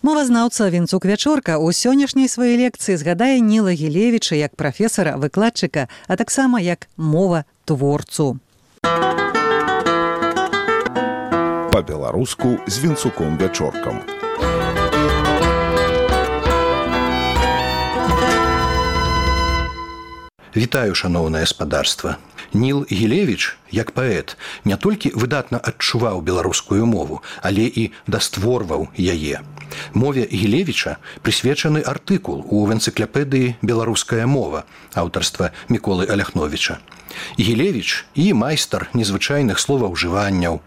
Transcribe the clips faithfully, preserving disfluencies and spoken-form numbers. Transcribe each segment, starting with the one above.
Мовазнаўца Вінцук Вячорка ў сённяшняй сваёй лекцыі згадае Ніла Гілевіча як прафесара, выкладчыка, а таксама як мова-творцу. Па-беларуску з Вінцуком Вячоркам. Вітаю, шаноўнае спадарства. Ніл Гілевіч, як паэт, не толькі выдатна адчуваў беларускую мову, але і дастворваў яе. Мове Гілевіча прысвечаны артыкул у энцыклапедыі «Беларуская мова» аўтарства Міколы Аляхновіча. Гілевіч і майстар незвычайных словаўжыванняў,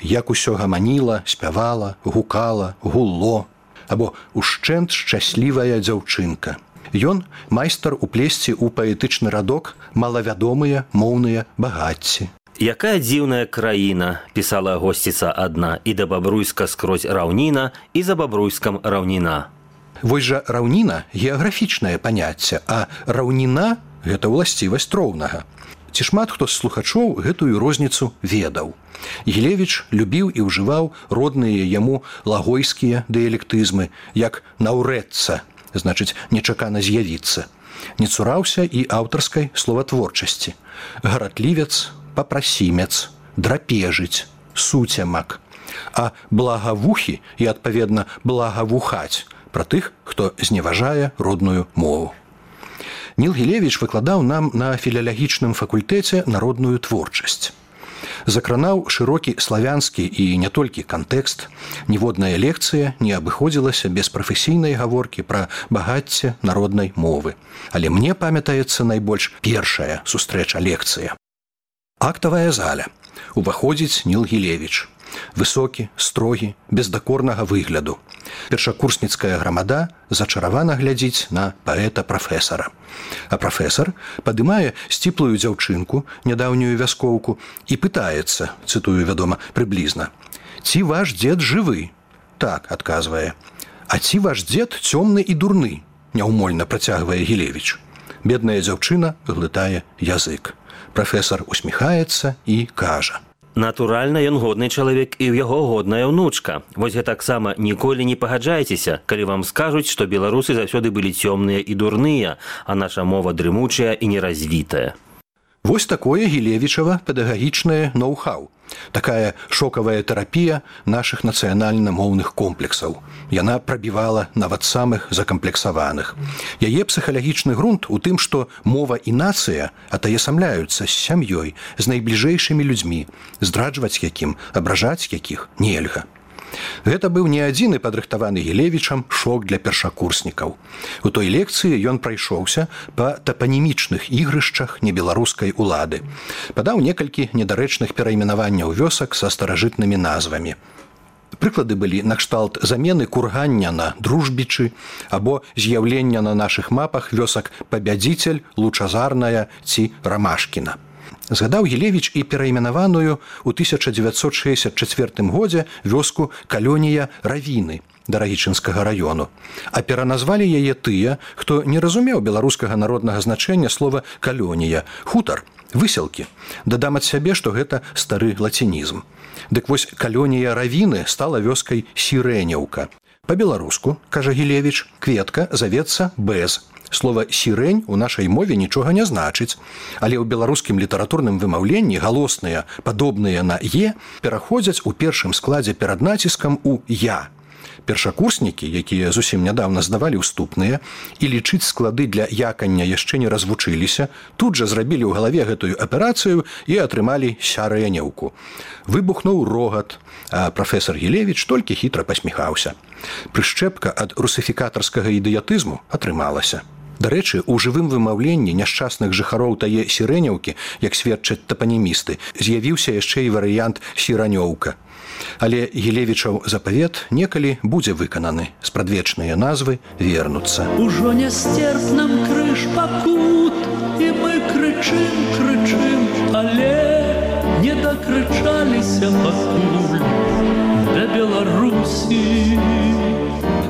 як усё гаманіла, спявала, гукала, гулло, або ушчэнт шчаслівая дзяўчынка. Ён майстар уплесці ў паэтычны радок малавядомыя моўныя багацці. «Якая дзіўная краіна», пісала госціца адна, «і да Бабруйска скрозь раўніна, і за Бабруйскам раўніна». Вось жа раўніна – геаграфічнае паняцце, а раўніна – гэта ўласцівасць роўнага. Ці шмат хто з слухачоў гэтую розніцу ведаў. Гілевіч любіў і ўжываў родныя яму лагойскія дыялектызмы, як «наўрэцца», значыць, нечакана з'явіцца. Не цураўся і аўтарскай словатворчасці. Гаратлівец, папрасімец, драпежыць, суцямак. А благавухі і, адпаведна, благавухаць пра тых, хто зневажае родную мову. Ніл Гілевіч выкладаў нам на філалагічным факультэце народную творчасць. Закранаў шырокі славянскі і не толькі кантэкст, ніводная лекцыя не абыходзілася без прафесійнай гаворкі пра багацце народнай мовы. Але мне памятаецца найбольш першая сустрэча лекцыя. Актавая заля. Уваходзіць Ніл Гілевіч. Высокі, строгі, без дакорнага выгляду. Першакурсніцкая грамада зачаравана глядзіць на паэта-прафесара. А прафесар падымае сціплую дзяўчынку, нядаўнюю вяскоўку, і пытаецца, цытую, вядома, прыблізна: «Ці ваш дзед жывы?» «Так», адказвае. «А ці ваш дзед цёмны і дурны?» Няўмольна працягвае Гілевіч. Бедная дзяўчына глытае язык. Прафесар усміхаецца і кажа: «Натуральна, ён годны чалавек і ў яго годная ўнучка. Вось гэтаксама ніколі не пагаджайцеся, калі вам скажуць, што беларусы заўсёды былі цёмныя і дурныя, а наша мова дрымучая і неразвітая». Вось такое Гілевічава педагагічнае ноу-хау. Такая шокавая тэрапія нашых нацыянальна-моўных комплексаў. Яна прабівала нават самых закамплексаваных. Яе псіхалагічны грунт у тым, што мова і нацыя атаясамляюцца з сям'ёй, з найбліжэйшымі людзьмі, здраджваць якім, абражаць якіх нельга. Гэта быў не адзіны падрыхтаваны Гілевічам шок для першакурснікаў. У той лекцыі ён прайшоўся па тапанімічных ігрышчах небеларускай улады. Падаў некалькі недарэчных перайменаванняў вёсак са старажытнымі назвамі. Прыклады былі накшталт замены кургання на дружбічы або з'яўлення на нашых мапах вёсак Пабядзіцель, Лучазарная ці Рамашкіна. Згадаў Гілевіч і перайменаваную ў тысяча дзевяцьсот шэсцьдзясят чацвёртым годзе вёску Калёнія Равіны Дарагічынскага раёну. А пераназвалі яе тыя, хто не разумеў беларускага народнага значэння слова «калёнія» – хутар, выселкі. Дадам ад сябе, што гэта стары лацінізм. Дык вось Калёнія Равіны стала вёскай Сірэнеўка. Па-беларуску, кажа Гілевіч, кветка завецца без. Слова «сірэнь» у нашай мове нічога не значыць, але ў беларускім літаратурным вымаўленні галосныя, падобныя на «е», пераходзяць у першым складзе перад націскам у «я». Першакурснікі, якія зусім нядаўна здавалі ўступныя і лічыць склады для якання яшчэ не развучыліся, тут жа зрабілі ў галаве гэтую аперацыю і атрымалі сярэнеўку. Выбухнуў рогат, а прафесар Гілевіч толькі хітра пасміхаўся. Прышчэпка ад русіфікатарскага ідыятызму атрымалася. Дарэчы, у жывым вымаўленні няшчасных жыхароў тае Сірэнеўкі, як сведчаць тапанімісты, з'явіўся яшчэ і варыянт Сіранёўка. Але Гілевічаў запавет некалі будзе выкананы, спрадвечныя назвы вернуцца. Ужо нястерпным крыж пакут, і мы крычым, крычым, але не дакрычаліся пакуль да Беларусі.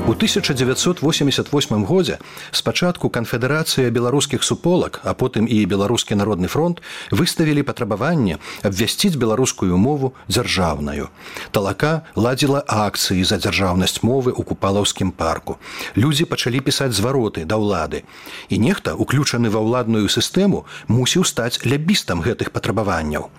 У У тысяча девятьсот восемьдесят восьмым годзе спачатку канфедэрацыя беларускіх суполак, а потым і беларускі народны фронт выставілі патрабаванне абвясціць беларускую мову дзяржаўнаю. Талака ладзіла акцыі за дзяржаўнасць мовы ў купалаўскім парку. Людзі пачалі пісаць звароты да ўлады. І нехта, уключаны ва ўладную сістэму, мусіў стаць лябістам гэтых патрабаванняў.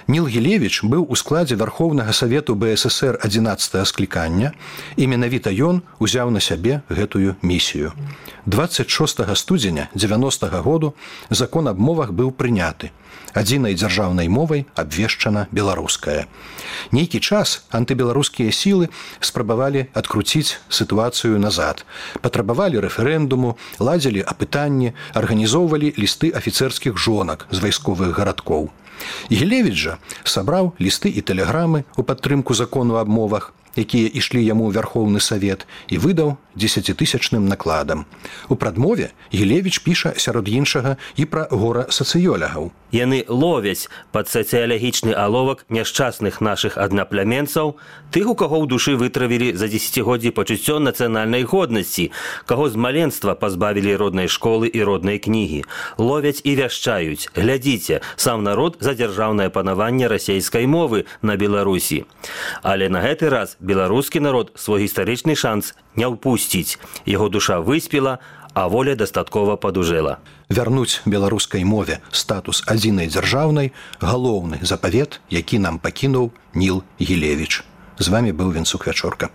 Ніл Гілевіч быў у складзе Вярхоўнага Савету бэ эс эс эр адзінаццатага склікання, і менавіта ён узяў на сябе гэтую місію. дваццаць шостага студзеня дзевяностага году закон аб мовах быў прыняты. Адзінай дзяржаўнай мовай абвешчана беларуская. Нейкі час антыбеларускія сілы спрабавалі адкруціць сітуацыю назад. Патрабавалі рэферэндуму, ладзілі апытанні, арганізоўвалі лісты афіцэрскіх жонак з вайсковых гарадкоў. Гілевіч жа сабраў лісты і тэлеграмы ў падтрымку закону аб мовах, якія ішлі яму ў Вярхоўны Савет, і выдаў дзесяцітысячным накладам. У прадмове Гілевіч піша сярод іншага і пра гора сацыёлягаў. Яны ловяць пад сацыялагічны аловак няшчасных нашых аднаплеменцаў, тых, у каго ў душы вытравілі за дзесяцігоддзі пачуццё нацыянальнай годнасці, каго з маленства пазбавілі роднай школы і роднай кнігі. Ловяць і вяшчаюць. Глядзіце, сам народ за дзяржаўнае панаванне расейскай мовы на Беларусі. Але на гэты раз беларускі народ свой гістарычны шанс не ўпусціць. Яго душа выспела, а воля дастаткова падужэла. Вярнуць беларускай мове статус адзінай дзяржаўнай – галоўны запавет, які нам пакінуў Ніл Гілевіч. З вами быў Венцук Вячорка.